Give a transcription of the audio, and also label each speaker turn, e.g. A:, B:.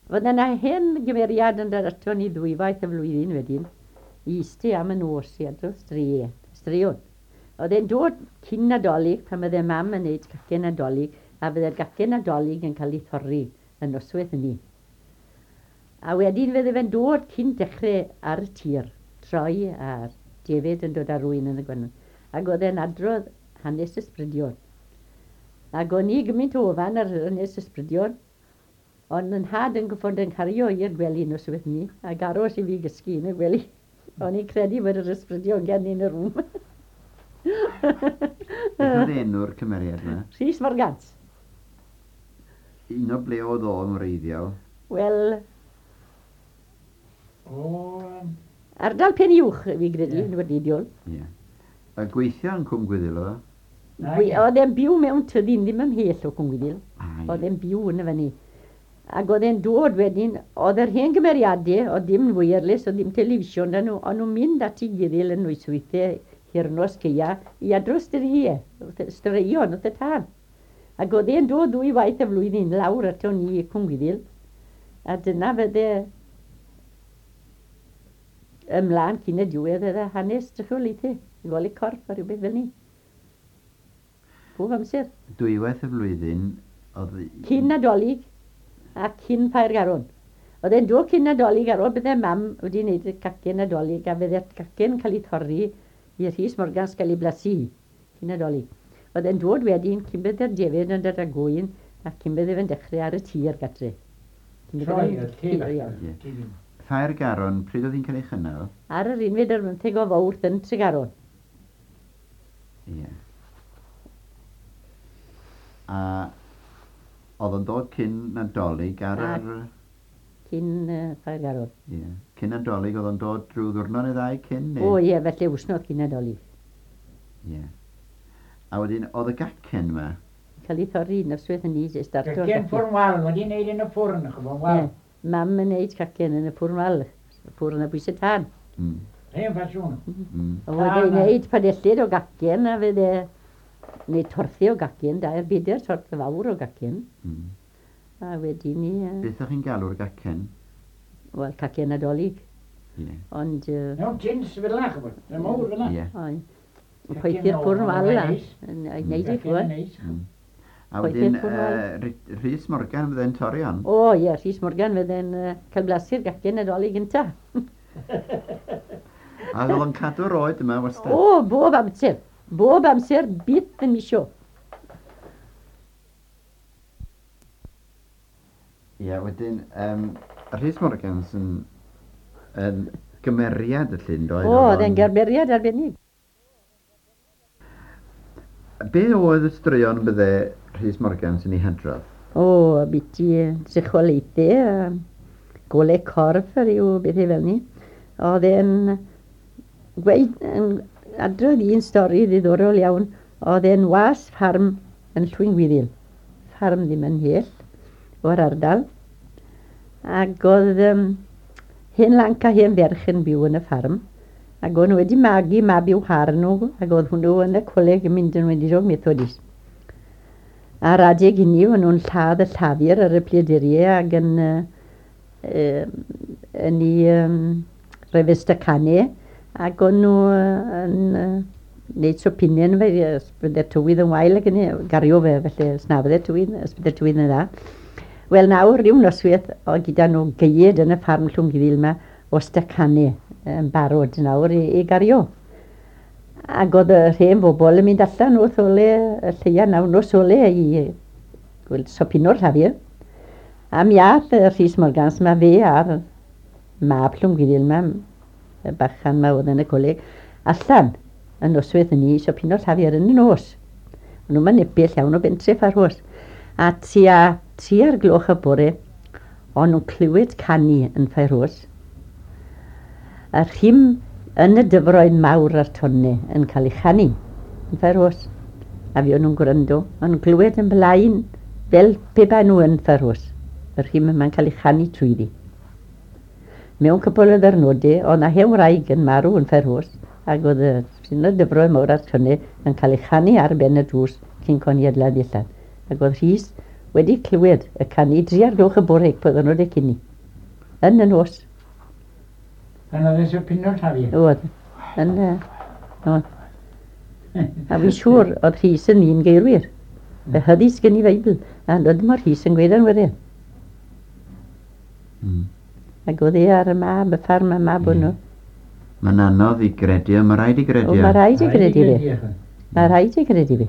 A: Fydde 'na hen gymeriad yn dod ato ni ddwywaith y flwyddyn wedyn i iste am y nos i adrodd straeon. Oedd e'n dod cyn Nadolig pan fydde mam yn neud cacen Nadolig a fydde'r gacen Nadolig yn cael ei thorri y noswaith hynny. A wedyn fydde fe'n dod cyn dechrau ar y tir, troi a'r defaid yn dod ar rwyn yn y gwanwyn. Ac oedd e'n adrodd hanes ysbrydion. Ac o'n i gymaint o ofan ar hanes ysbrydion, ond yn nhad yn goffod yn cario i'r gwely noswaith 'ny ac aros i fi gysgu yn y gwely. O'n i'n credu bod yr ysbrydion gen i yn y rŵm.
B: Beth oedd enw'r cymeriad yma?
A: Rhys Morgans.
B: Un o ble oedd o'n wreiddiol?
A: Wel...
C: O...
A: Ardal Pen Uwch, fi gredu, yn wreiddiol.
B: Ie. Yeah. A gweithio yn Cwm Gwyddil oedd o?
A: Oedd e'n byw mewn tyddyn ddim ymhell o Cwm Gwyddil. Oedd e'n byw yn y fyny. Ac oedd e'n dod wedyn, oedd yr hen gymeriadau, oedd dim wireless, oedd dim television 'da nhw, o'n nhw'n mynd at ei gilydd yn nosweithiau hirnos gaea i adrodd straeon, straeon wrth y tân. Ac oedd e'n dod ddwy waith y flwyddyn lawr ato ni i Cwm Gwyddil, a dyna fydde ymlaen cyn y diwedd oedd y hanes drycholiaethau, golau corff a rhywbeth fel 'ny. Bob amser.
B: Dwywaith y flwyddyn oedd...
A: Cyn Nadolig a cyn Ffair Garon. Oedd e'n dod cyn Nadolig ar ôl bydde mam wedi wneud y cacen Nadolig a fydde'r cacen cael ei thorri i Rhys Morgans gael ei blasu cyn Nadolig. Oedd e'n dod wedyn cyn bydde'r defaid yn dod â gŵyn a cyn bydde fe'n dechrau ar y tir gatre.
C: Cyn bydde fe'n Troi y tir
B: allan. Ffair Garon, pryd oedd hi'n cael ei chynnal?
A: Ar yr unfed ar bymtheg o Fawrth yn Tregaron.
B: Ie. A oedd o'n dod cyn Nadolig ar yr...
A: Cyn Ffair Garon.
B: Ie. Cyn Nadolig oedd o'n dod rhyw ddiwrnod neu ddau cyn neu?
A: O ie, felly wsnos cyn Nadolig.
B: Ie. A wedyn oedd y gacen 'ma?
A: Cael ei thorri noswaith hynny i starto'r
C: gacen. Cacen ffwrn wal, wedi wneud yn y ffwrn, ch'bo, wal.
A: Ie. Mam yn neud cacen yn y ffwrn wal, ffwrn a bwys y tân.
C: Hen ffasiwn.
A: Oedd e'n neud padellid o gacen a fydde neu torthi o gacen, dair bedair torth fawr o gacen. A wedyn ni...
B: Beth o'ch chi'n galw'r gacen?
A: Wel, cacen Nadolig.
B: Ie.
A: Ond...
C: Mewn tins fel 'na, ch'bod, yn mowr fel 'na.
B: Ie.
A: Oedd. Yn poethi'r ffwrn wal a neud e, ch'bod.
B: A wedyn Rhys Morgan fydde'n torri hon?
A: O ie, Rhys Morgan fydde'n cael blasu'r gacen Nadolig gynta.
B: A oedd o'n cadw'r oed yma wastad?
A: O, bob amser. Bob amser, byth yn misio.
B: Ie, wedyn, Rhys Morgans yn, yn gymeriad y llyn, doedd?
A: O, oedd e'n gymeriad arbennig.
B: Be oedd y straeon bydde Rhys Morgans yn eu hadrodd?
A: O, ambiti drychwalaethau a golau corff a rhyw bethau fel 'ny. Oedd e'n gweud, yn adrodd un stori ddiddorol iawn. Oedd e'n was ffarm yn Llwyngwyddil, ffarm ddim yn mhell o'r ardal. Ac oedd hen lanc a hen ferch yn byw yn y ffarm. Ac o'n nhw wedi magu mab i'w har nhw, ac oedd hwnnw yn y coleg yn mynd yn weinidog Methodist. A'r adeg hynny, o'n nhw'n lladd y llafur ar y pleduriau ac yn, yn ei rhoi fe stacane, ac o'n nhw yn wneud sopinau yn fe, os bydde'r tywydd yn wael ac yn gario fe, felly os na fydde'r tywydd, os bydde'r tywydd yn dda. Wel nawr, ryw noswaith, oedd gyda nhw geied yn y ffarm Llwngwyddil 'ma o stacane yn barod nawr i, i gario. Ac oedd yr hen bobl yn mynd allan wrth ole y lleia nawr nos ole i gweld sopino'r llafur. A mi ath y Rhys Morgans 'ma fe a'r mab Llwngwyddil 'ma, y bachan 'ma oedd yn y coleg, allan y noswaith hynny i sopino'r llafur yn y nos. O'n nhw'm yn nepell iawn o bentre Ffarhos. A tua tri'r gloch y bore, o'n nhw'n clywed canu yn Ffairhos. A rhim yn y dyfroedd mawr a'r tonne yn cael ei chanu yn Ffairhos. A fi o'n nhw'n gwrando, o'n nhw'n clywed yn blaen fel pe bai nhw yn Ffairhos. Y rhim yma'n cael ei chanu trwyddi. Mewn cwpl o ddyrnodau, oedd 'na hen wraig yn marw yn Ffairhos, ac oedd y rhin o'r dyfroedd mawr a'r tonne yn cael ei chanu ar ben y drws cyn coniadla ddillad. Ac oedd Rhys wedi clywed y canu 3 o'r gloch y bore pan oedden nhw wedi cynnu. Yn y nos.
C: Pan oedd eisiau pino tafu.
A: Oedd. Yn, oedd. A fi'n siŵr oedd Rhys yn un geirwyr. Fe hyddys gen i Feibl. A oedd mor Rhys yn gweud yn wedyn. Ac oedd e ar y mab, y ffarm y mab hwnnw.
B: Mae'n anodd i gredu, ond mae rhaid i gredu.
A: O, mae rhaid i gredu fi. Mae rhaid i gredu fi.